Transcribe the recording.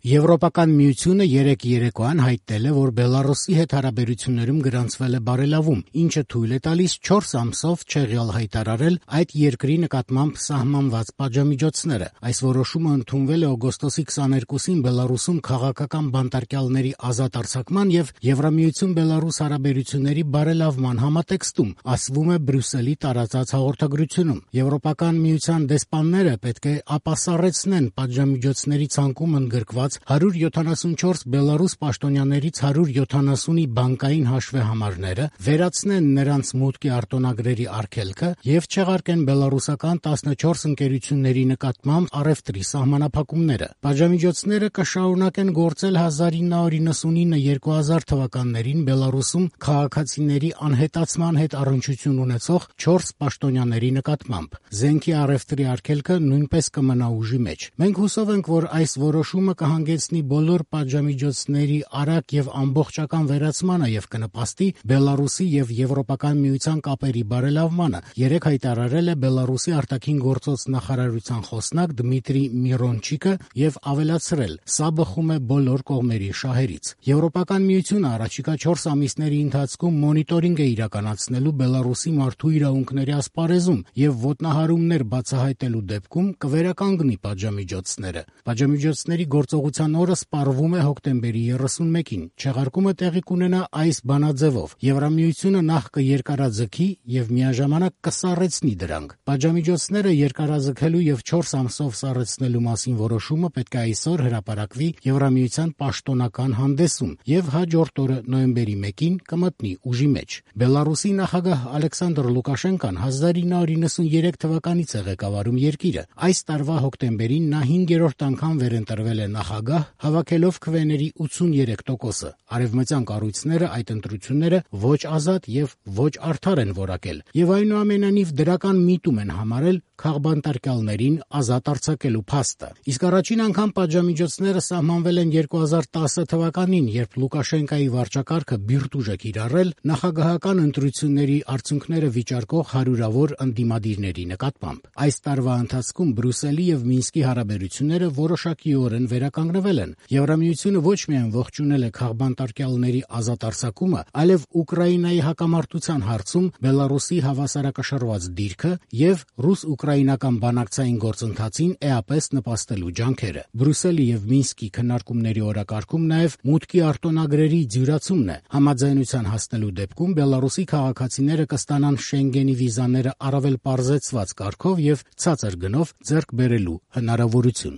Եվրոպական միությունը երեկ երեկոյան հայտնել է, որ Բելառուսի հետ հարաբերություններում գրանցվել է բարելավում, ինչը թույլ է տալիս 4 ամսով չեղյալ հայտարարել այդ երկրի նկատմամբ սահմանված պատժամիջոցները։ Այս որոշումը ընդունվել է օգոստոսի 22-ին Բելառուսում քաղաքական բանտարկյալների ազատ արձակման եւ Եվրամիություն-Բելառուս հարաբերությունների բարելավման համատեքստում, ասվում է Բրյուսելի տարածած հաղորդագրությունում։ Եվրոպական միության դեսպանները պետք է ապասառեցնեն պատժամիջոցների ցանկում ընդգրկված 174 Բելառուս պաշտոնյաներից 170-ի բանկային հաշվեհամարները, վերացնեն նրանց մուտքի արտոնագրերի արգելքը եւ չեղարկեն բելառուսական 14 ընկերությունների նկատմամբ առևտրի սահմանափակումները։ Պատժամիջոցները կշարունակեն գործել 1999-2000 թվականներին Բելառուսում քաղաքացիների անհետացման հետ առնչություն ունեցող 4 պաշտոնյաների նկատմամբ։ Զենքի առևտրի արգելքը նույնպես կմնա ուժի մեջ։ Մենք հուսով ենք, որ այս որոշումը կհանգեցնի բոլոր պատժամիջոցների արագ եւ ամբողջական վերացմանը եւ կնպաստի Բելառուսի եւ Եվրոպական միության կապերի բարելավմանը, երեկ հայտարարել է Բելառուսի արտաքին գործոց նախարարության խոսնակ Դմիտրի Միրոնչիկը եւ ավելացրել. «Սա բխում է բոլոր կողմերի շահերից»։ Եվրոպական միությունը առաջիկա 4 ամիսների ընթացքում մոնիտորինգ է իրականացնելու Բելառուսի մարդու իրավունքների ասպարեզում եւ ոտնահարումներ բացահայտելու դեպքում կվերականգնի պատժամիջոցները։ Պատժամիջոցների գործողության օրը սպառվում է հոկտեմբերի 31-ին։ Չեղարկումը տեղի կունենա այս բանաձևով. Եվրամիությունը նախ կերկարաձգի եւ միաժամանակ կսառեցնի դրանք։ Պատժամիջոցները երկարաձգելու եւ 4 ամսով սառեցնելու մասին որոշումը պետք է այսօր հրապարակվի Եվրամիության պաշտոնական հանդեսում եւ հաջորդ օրը նոյեմբերի 1-ին կմտնի ուժի մեջ։ Բելառուսի նախագահ Ալեքսանդր Լուկաշենկան 1993 թվականից է ղեկավարում երկիրը։ Այս տարվա հոկտեմբերին նա 5-րդ անգամ վերընտրվել է նախագահ, հավաքելով քվեների 83%-ը։ Արևմտյան կառույցները այդ ընտրությունները ոչ ազատ եւ ոչ արդար են որակել եւ այնուամենայնիվ դրական միտում են համարել քաղբանտարկյալներին ազատ արձակելու փաստը։ Իսկ առաջին անգամ պատժամիջոցները սահմանվել են 2010 թվականին, երբ Լուկաշենկայի վարչակարգը բիրտուժ է կիրառել նախագահական ընտրությունների արդյունքները վիճարկող հարյուրավոր ընդդիմադիրների նկատմամբ։ Այս տարվա ընթացքում Բրյուսելի եւ Մինսկի հարաբերությունները որոշակիորեն վերականգնվել են։ Եվրամիությունը ոչ միայն ողջունել է քաղբանտարկյալների ազատ արձակումը, այլև Ուկրաինայի հակամարտության հարցում Բելառուսի հավասարակշռված դիրքը եւ ռուս-ուկրաինական բանակցային գործընթացին էապես նպաստելու ջանքերը։ Բրյուսելի եւ Մինսկի քննարկումների օրակարգում նաեւ մուտքի արտոնագրերի ձյուրացումն է։ Համաձայնության հասնելու դեպքում Բելառուսի քաղաքացիները կստանան Շենգենի վիզաները առավել պարզեցված կարգով եւ ցածր գնով ձեռք բերելու հնարավորություն։